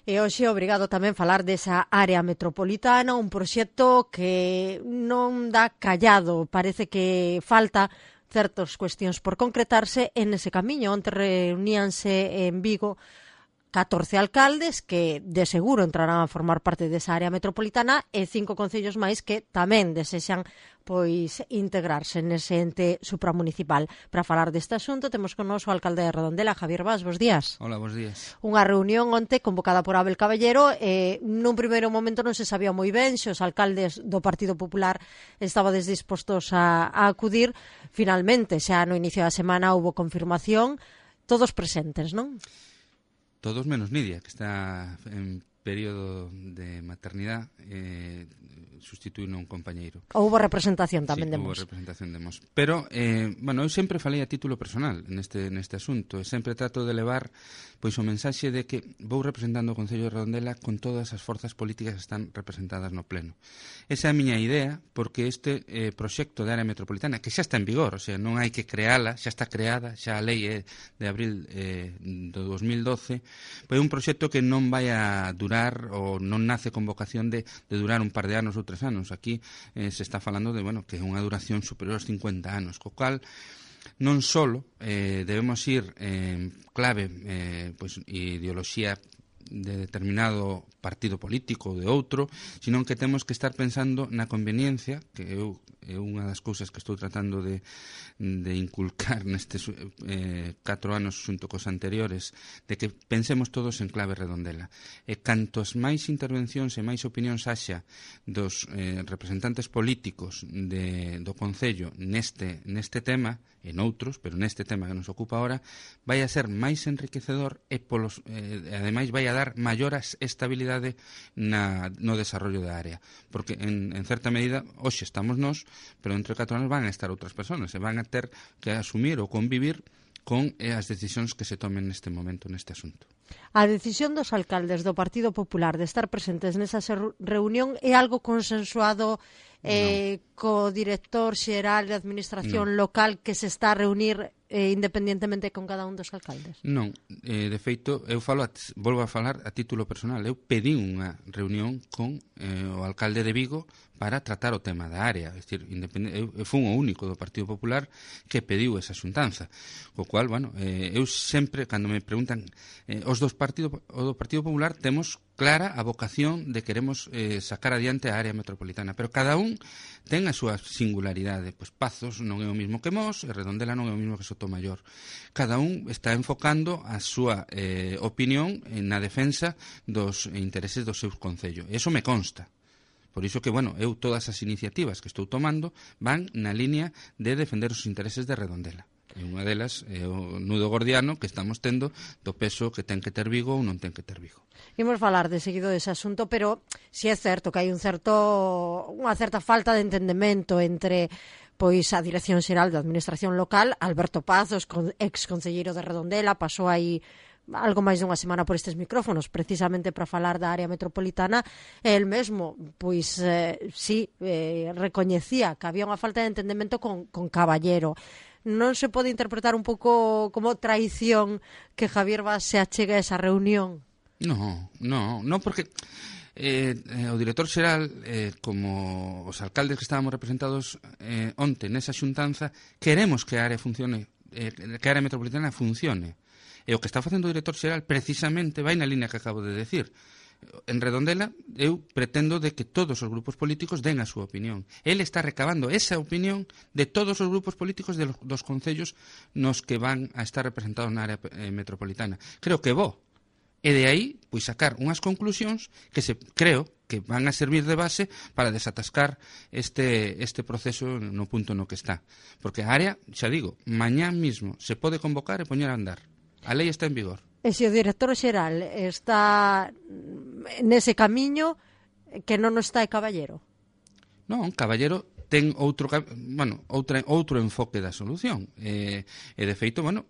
E hoxe obrigado tamén falar desa área metropolitana, un proxecto que non dá callado, parece que falta certas cuestións por concretarse en ese camiño. Onte reuníanse en Vigo 14 alcaldes que de seguro entrarán a formar parte desa área metropolitana e 5 concellos máis que tamén desexan pois integrarse nese ente supramunicipal. Para falar deste asunto temos con nos o alcalde de Redondela, Javier Bas. Bos días. Hola, bos días. Unha reunión onte convocada por Abel Caballero e nun primeiro momento non se sabía moi ben se os alcaldes do Partido Popular estabades dispostos a acudir. Finalmente, xa no inicio da semana houbo confirmación, todos presentes, non? Todos menos Nidia, que está en período de maternidade, sustituíno un compañeiro. Houbo representación tamén sí, de Mos. Houbo representación de Mos. Pero, bueno, eu sempre falei a título personal neste asunto, e sempre trato de levar pois o mensaxe de que vou representando o Concello de Redondela con todas as forzas políticas que están representadas no pleno. Esa é a miña idea, porque este proxecto de área metropolitana, que xa está en vigor, o sea, non hai que creala, xa está creada, xa a lei é de abril do 2012, pois é un proxecto que non vai a durar ou non nace con vocación de durar un par de anos ou 3 anos. Aquí se está falando de, bueno, que é unha duración superior aos 50 anos, co cual non só debemos ir clave pois ideoloxía de determinado partido político ou de outro, sino que temos que estar pensando na conveniencia, que é unha das cousas que estou tratando de inculcar nestes 4 anos xunto cos anteriores, de que pensemos todos en clave Redondela. E cantos máis intervencións e máis opinións haxa dos representantes políticos do Concello neste tema, e noutros, pero neste tema que nos ocupa ahora, vai a ser máis enriquecedor e ademais vai a dar maior estabilidade no desarrollo da área, porque en certa medida hoxe estamos nós, pero entre 4 anos van a estar outras persoas e van a ter que asumir ou convivir con as decisións que se tomen neste momento neste asunto. A decisión dos alcaldes do Partido Popular de estar presentes nesa reunión é algo consensuado co director xeral de Administración local que se está a reunir independientemente con cada un dos alcaldes? Non, de feito, volvo a falar a título personal. Eu pedí unha reunión con o alcalde de Vigo para tratar o tema da área. É dicir, eu fui o único do Partido Popular que pediu esa xuntanza. Co cual, bueno, eu sempre, cando me preguntan os do Partido Popular, temos clara a vocación de queremos sacar adiante a área metropolitana, pero cada un ten a súa singularidade. Pois Pazos non é o mismo que Mos, e Redondela non é o mismo que Sotomayor. Cada un está enfocando a súa opinión na defensa dos intereses do seu concello. E iso me consta. Por iso que, bueno, eu todas as iniciativas que estou tomando van na línea de defender os intereses de Redondela. E unha delas é o nudo gordiano que estamos tendo do peso que ten que ter Vigo ou non ten que ter Vigo. Imos falar de seguido dese asunto, pero si é certo que hai unha certa falta de entendemento entre pois a Dirección Xeral de Administración Local, Alberto Pazos, ex-concelleiro de Redondela, pasou aí algo máis dunha semana por estes micrófonos precisamente para falar da área metropolitana, e el mesmo pois recoñecía que había unha falta de entendemento con Caballero. Non se pode interpretar un pouco como traición que Javier Bas se achegue a esa reunión? Non, porque o director xeral, como os alcaldes que estábamos representados onte nesa xuntanza, queremos que a área funcione, que a área metropolitana funcione. E o que está facendo o director xeral precisamente vai na línea que acabo de decir. En Redondela eu pretendo de que todos os grupos políticos den a súa opinión. Ele está recabando esa opinión de todos os grupos políticos dos concellos nos que van a estar representados na área metropolitana. Creo que bo. E de aí, pois, sacar unhas conclusións que creo que van a servir de base para desatascar este proceso no punto no que está. Porque a área, xa digo, mañá mismo se pode convocar e poñer a andar. A lei está en vigor. E se o director xeral está nese camiño, que non está Caballero? Non, Caballero ten outro enfoque da solución. E de feito, bueno,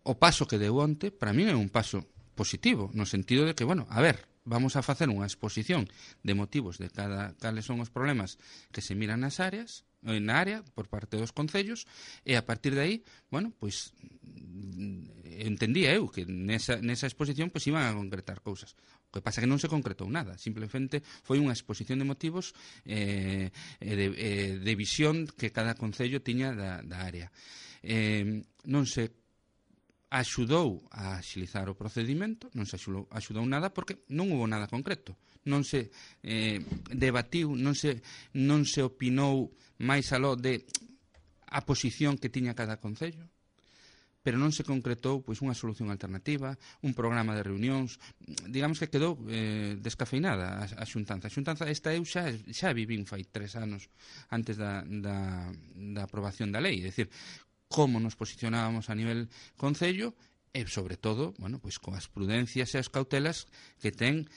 o paso que deu onte, para mí é un paso positivo, no sentido de que, bueno, a ver, vamos a facer unha exposición de motivos de cales son os problemas que se miran na área por parte dos concellos, e a partir de aí, bueno, pois entendía eu que nesa exposición pois iban a concretar cousas. O que pasa que non se concretou nada, simplemente foi unha exposición de motivos de visión que cada concello tiña da área. Non se axudou a axilizar o procedimento, non se axudou nada porque non hubo nada concreto. Non se debatiu, non se opinou máis aló de a posición que tiña cada concello, pero non se concretou pois unha solución alternativa, un programa de reunións. Digamos que quedou descafeinada a xuntanza. A xuntanza esta eu xa vivín fai 3 anos antes da aprobación da lei, é dicir, como nos posicionábamos a nivel concello e, sobre todo, bueno, pois coas prudencias e as cautelas que ten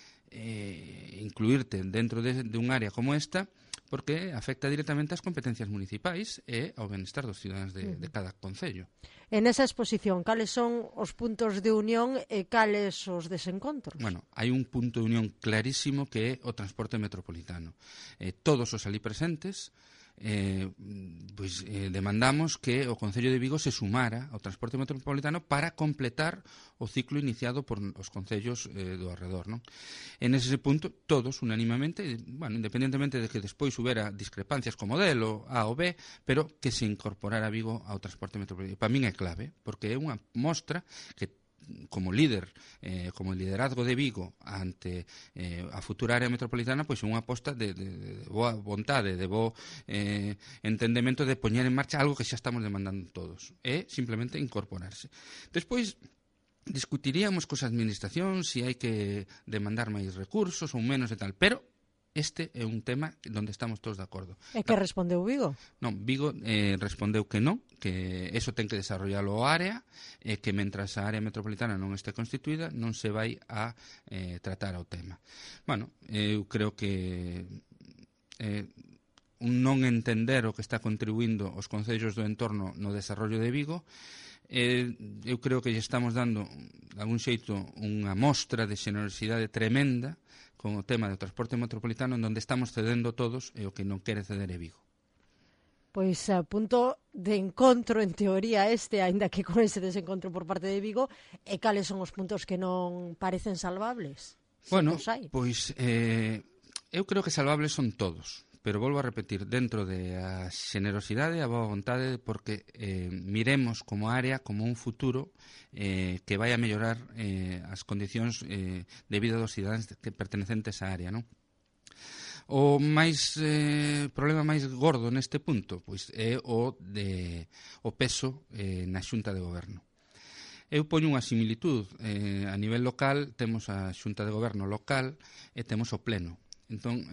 incluirte dentro de un área como esta, porque afecta directamente ás competencias municipais e ao benestar dos cidadáns de cada concello. En esa exposición, cales son os puntos de unión e cales os desencontros? Bueno, hai un punto de unión clarísimo que é o transporte metropolitano. Todos os ali presentes demandamos que o Concello de Vigo se sumara ao transporte metropolitano para completar o ciclo iniciado por os concellos do arredor, non? En ese punto, todos unanimamente, bueno, independentemente de que despois houbera discrepancias co modelo A ou B, pero que se incorporara Vigo ao transporte metropolitano. Para min é clave, porque é unha mostra que como líder, como liderazgo de Vigo ante a futura área metropolitana, pois é unha aposta de boa vontade, de bo entendemento de poñer en marcha algo que xa estamos demandando todos. É simplemente incorporarse. Despois discutiríamos cos administracións se hai que demandar máis recursos ou menos e tal, pero este é un tema onde estamos todos de acordo. E que respondeu Vigo? Non, Vigo respondeu que non, que eso ten que desarrollalo a área, e que mentras a área metropolitana non este constituída non se vai a tratar o tema. Bueno, eu creo que un non entender o que está contribuindo os concellos do entorno no desarrollo de Vigo, eu creo que lle estamos dando, de algún xeito, unha mostra de xenerosidade tremenda con o tema do transporte metropolitano, en onde estamos cedendo todos e o que non quere ceder é Vigo. Pois a punto de encontro, en teoría, aínda que con ese desencontro por parte de Vigo, e cales son os puntos que non parecen salvables? Bueno, pois eu creo que salvables son todos, pero volvo a repetir, dentro de a xenerosidade e a boa vontade, porque miremos como área, como un futuro que vai a mellorar as condicións de vida dos cidadáns pertenecentes á área, non? O problema máis gordo neste punto pois é o peso na Xunta de Goberno. Eu poño unha similitud. A nivel local temos a Xunta de Goberno local e temos o Pleno. Entón,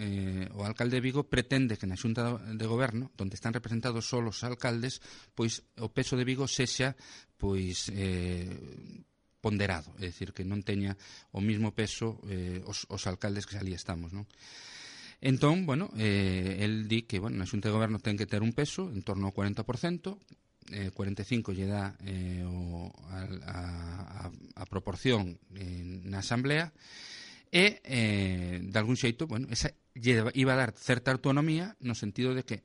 o alcalde de Vigo pretende que na Xunta de Goberno, onde están representados só os alcaldes, pois o peso de Vigo sexa pois ponderado, é dicir, que non teña o mismo peso os alcaldes que ali estamos, non? Entón, bueno, el di que, bueno, na Xunta de Goberno ten que ter un peso en torno ao 40%, 45% lle dá a proporción na Asamblea, e, de algún xeito, bueno, esa lle iba a dar certa autonomía no sentido de que,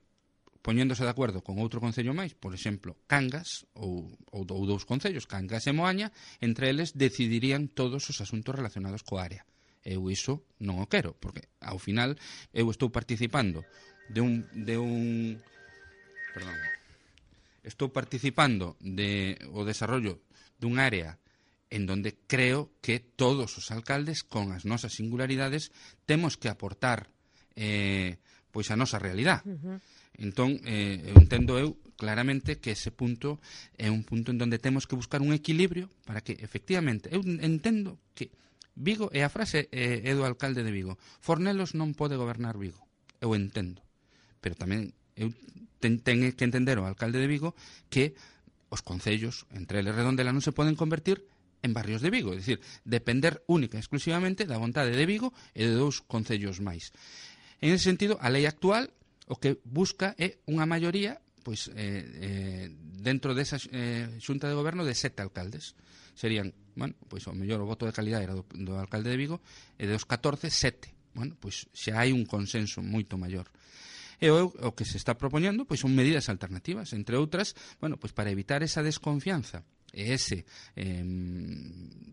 poñéndose de acordo con outro concello máis, por exemplo, Cangas, ou dous concellos, Cangas e Moaña, entre eles decidirían todos os asuntos relacionados coa área. Eu iso non o quero, porque ao final eu estou participando estou participando o desarrollo dun área en donde creo que todos os alcaldes, con as nosas singularidades, temos que aportar pois a nosa realidade. Entón, entendo eu claramente que ese punto é un punto en donde temos que buscar un equilibrio para que, efectivamente, eu entendo que Vigo, e a frase é do alcalde de Vigo, Fornelos non pode gobernar Vigo, eu entendo, pero tamén eu ten que entender o alcalde de Vigo que os concellos, entre eles Redondela, non se poden convertir en barrios de Vigo, é dicir, depender única e exclusivamente da vontade de Vigo e de dous concellos máis. En ese sentido, a lei actual o que busca é unha maioría pois dentro desa xunta de goberno de 7 alcaldes. Serían, bueno, pois o mellor o voto de calidade era do alcalde de Vigo, e dos 14, 7. Bueno, pois xa hai un consenso moito maior. E o que se está propoñendo pois son medidas alternativas, entre outras, bueno, pois para evitar esa desconfianza e ese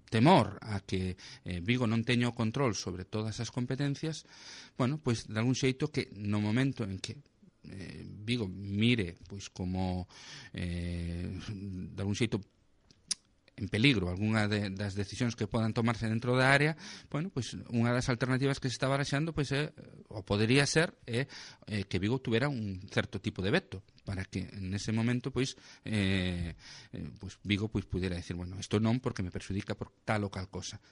temor a que Vigo non teña o control sobre todas as competencias, bueno, pois de algún xeito que no momento en que Vigo mire pois como de algún xeito en peligro algunha das decisións que podan tomarse dentro da área, bueno, pois unha das alternativas que se está baraxando pois ou podería ser que Vigo tuvera un certo tipo de veto para que en ese momento pois Vigo pois pudiera decir, bueno, isto non porque me perxudica por tal ou cal cosa,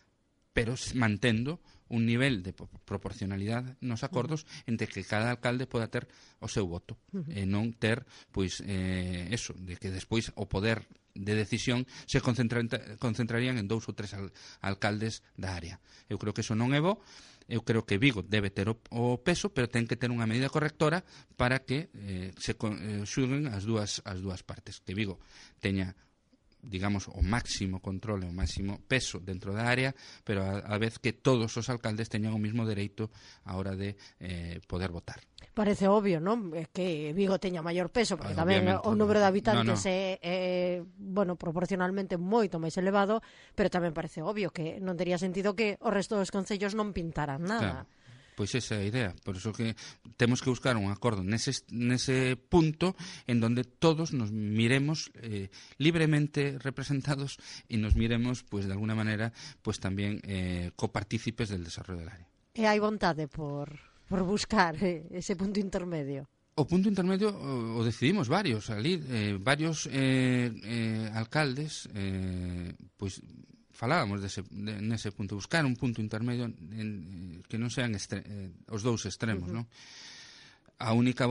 pero mantendo un nivel de proporcionalidade nos acordos entre que cada alcalde poda ter o seu voto e non ter, pois, eso, de que despois o poder de decisión se concentrarían en 2 ou 3 alcaldes da área. Eu creo que eso non é bo. Eu creo que Vigo debe ter o peso, pero ten que ter unha medida correctora para que se xulguen as dúas partes. Que Vigo teña, digamos, o máximo control e o máximo peso dentro da área, pero a vez que todos os alcaldes teñan o mismo dereito a hora de poder votar. Parece obvio, non? Que Vigo teña maior peso, porque tamén o número de habitantes é, bueno, proporcionalmente moito máis elevado, pero tamén parece obvio que non tería sentido que o resto dos concellos non pintaran nada. Claro. Pois esa é a idea, por iso que temos que buscar un acordo nese punto en donde todos nos miremos libremente representados e nos miremos, pues de alguna manera, pues tamén copartícipes del desarrollo del área. E hai vontade por buscar ese punto intermedio? O punto intermedio o decidimos varios ali, varios alcaldes, pois falábamos nese punto, buscar un punto intermedio que non sean os dous extremos, non? A única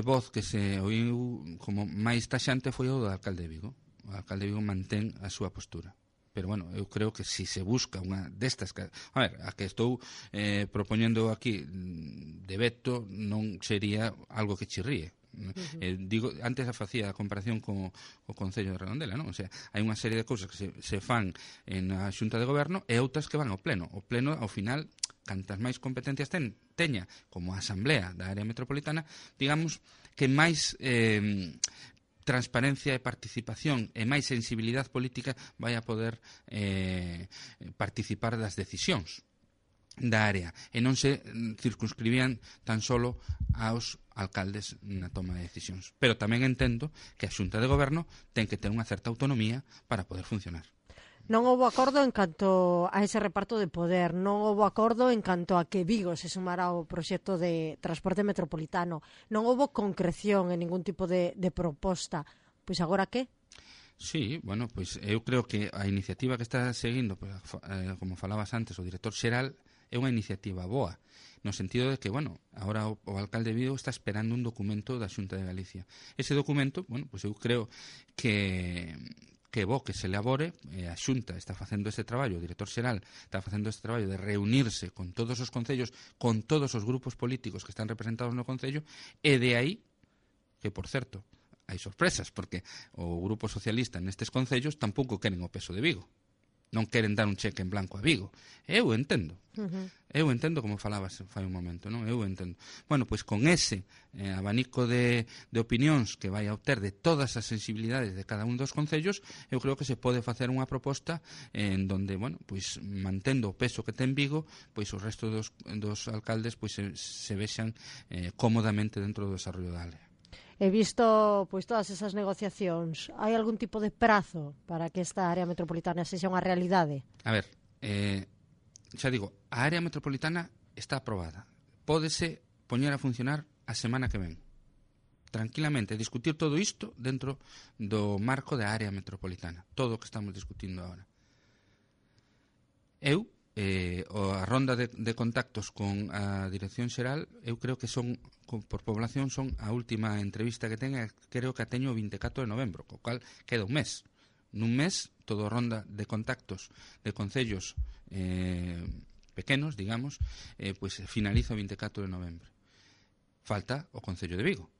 voz que se oiu como máis taxante foi o do alcalde de Vigo. O alcalde de Vigo mantén a súa postura. Pero, bueno, eu creo que si se busca unha destas... A ver, a que estou propoñendo aquí de veto non sería algo que chirríe. Digo, antes facía a comparación co Concello de Redondela, non? O sea, hai unha serie de cousas que se fan na Xunta de Goberno e outras que van ao Pleno. O Pleno, ao final, cantas máis competencias teña como a Asamblea da área metropolitana, digamos que máis transparencia e participación e máis sensibilidade política vai a poder participar das decisións da área e non se circunscribían tan solo aos alcaldes na toma de decisións. Pero tamén entendo que a Xunta de Goberno ten que ter unha certa autonomía para poder funcionar. Non houbo acordo en canto a ese reparto de poder, non houbo acordo en canto a que Vigo se sumara ao proxecto de transporte metropolitano, non houbo concreción en ningún tipo de proposta. Pois agora que? Sí, bueno, pois eu creo que a iniciativa que está seguindo, pues, como falabas antes, o director xeral, é unha iniciativa boa, no sentido de que, bueno, agora o alcalde de Vigo está esperando un documento da Xunta de Galicia. Ese documento, bueno, pues eu creo que é bo que se elabore, a Xunta está facendo ese traballo, o director xeral está facendo ese traballo de reunirse con todos os concellos, con todos os grupos políticos que están representados no concello, e de aí, que por certo, hai sorpresas, porque o Grupo Socialista nestes concellos tampouco queren o peso de Vigo. Non queren dar un cheque en blanco a Vigo. Eu entendo. Eu entendo como falabas fai un momento, non? Eu entendo. Bueno, pois con ese abanico de opinións que vai a obter de todas as sensibilidades de cada un dos concellos, eu creo que se pode facer unha proposta en donde, bueno, pois mantendo o peso que ten Vigo, pois o resto dos alcaldes pois se vexan cómodamente dentro do desarrollo da área. He visto pois todas esas negociacións. Hai algún tipo de prazo para que esta área metropolitana sexa unha realidade? A ver, xa digo, a área metropolitana está aprobada. Pódese poñer a funcionar a semana que ven. Tranquilamente, discutir todo isto dentro do marco da área metropolitana. Todo o que estamos discutindo agora. Eu, a ronda de contactos con a Dirección Xeral, eu creo que son, por población, son a última entrevista que teña, creo que a teño o 24 de novembro, co cual queda un mes. Nun mes, todo ronda de contactos de concellos pequenos, digamos, pois finaliza o 24 de novembro. Falta o Concello de Vigo.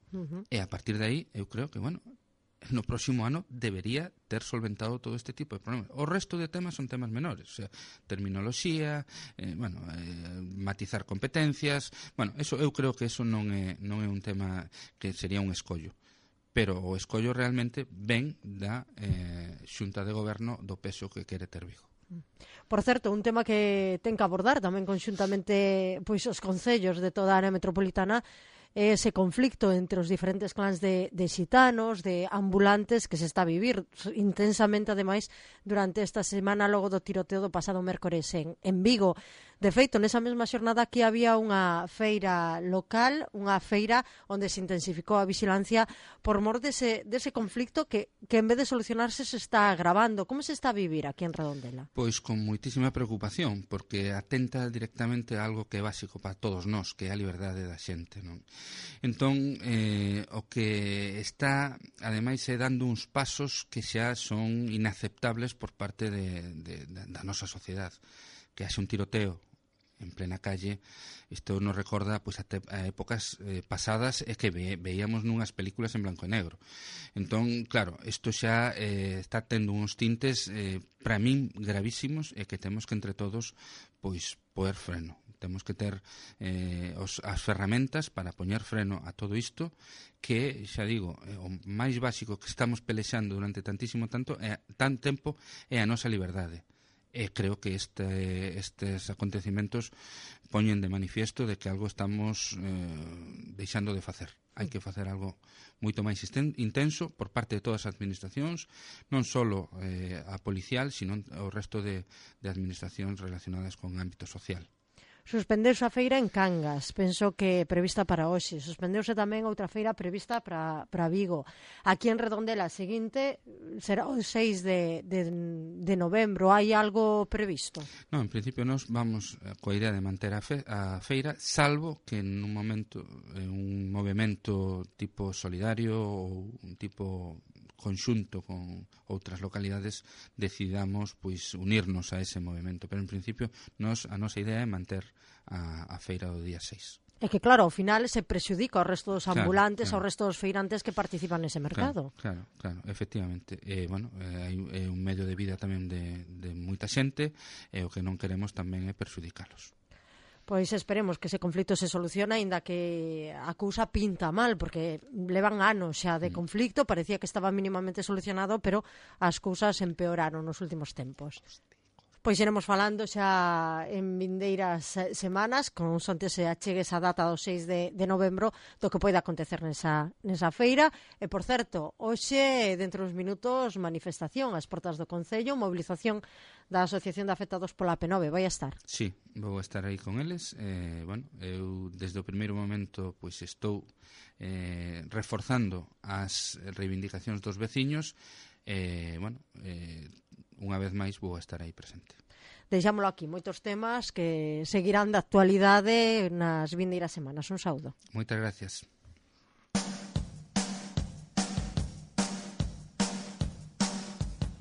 E a partir de aí, eu creo que, bueno, no próximo ano debería ter solventado todo este tipo de problemas. O resto de temas son temas menores, o sea, terminoloxía, matizar competencias, bueno, eso eu creo que eso non é un tema que sería un escollo. pero o escollo realmente ven da Xunta de Goberno do peso que quere ter Vigo. Por certo, un tema que ten que abordar tamén conxuntamente pois os concellos de toda a área metropolitana é ese conflicto entre os diferentes clans de xitanos, de ambulantes que se está a vivir intensamente, ademais, durante esta semana logo do tiroteo do pasado mércores en Vigo. De feito, nesa mesma xornada aquí había unha feira local, unha feira onde se intensificou a vigilancia por mor dese conflicto que en vez de solucionarse se está agravando. Como se está a vivir aquí en Redondela? Pois con moitísima preocupación, porque atenta directamente a algo que é básico para todos nós, que é a liberdade da xente, non? Entón, o que está, ademais, é dando uns pasos que xa son inaceptables por parte da nosa sociedade. Que haxe un tiroteo en plena calle, isto nos recorda pois, a épocas pasadas e que veíamos nunhas películas en blanco e negro. Entón, claro, isto xa está tendo uns tintes para min gravísimos e que temos que entre todos pois poer freno. Temos que ter as ferramentas para poñer freno a todo isto que, xa digo, o máis básico que estamos pelexando durante tantísimo tempo é a nosa liberdade. E creo que estes acontecimentos poñen de manifiesto de que algo estamos deixando de facer. Hai que facer algo moito máis intenso por parte de todas as administracións, non só a policial, sino o resto de administracións relacionadas con ámbito social. Suspendeuse a feira en Cangas, penso que prevista para hoxe. Suspendeuse tamén outra feira prevista para Vigo. Aquí en Redondela, a seguinte será o 6 de novembro. Hai algo previsto? Non, en principio nos vamos coa idea de manter a feira, salvo que en un momento un movimento tipo solidario ou un tipo conxunto con outras localidades decidamos pois unirnos a ese movimento, pero en principio a nosa idea é manter a feira do día 6. É que claro, ao final se prexudica ao resto dos ambulantes, ao resto dos feirantes que participan nese mercado. Claro, efectivamente. É un medio de vida tamén de moita xente e o que non queremos tamén é perxudicalos. Pois esperemos que ese conflito se solucione, aínda que a cousa pinta mal, porque levan anos xa de conflicto, parecía que estaba mínimamente solucionado, pero as cousas empeoraron nos últimos tempos. Pois iremos falando xa en vindeiras semanas, con sonte se achegue esa data do 6 de novembro, do que pode acontecer nesa feira. E, por certo, hoxe, dentro dos minutos, manifestación ás portas do Concello, movilización da Asociación de Afectados pola P9. Vai a estar? Sí, vou estar aí con eles. Eu, desde o primeiro momento, pois estou reforzando as reivindicacións dos veciños. Unha vez máis vou estar aí presente. Deixámolo aquí, moitos temas que seguirán de actualidade nas vindeiras semanas. Un saúdo. Moitas gracias.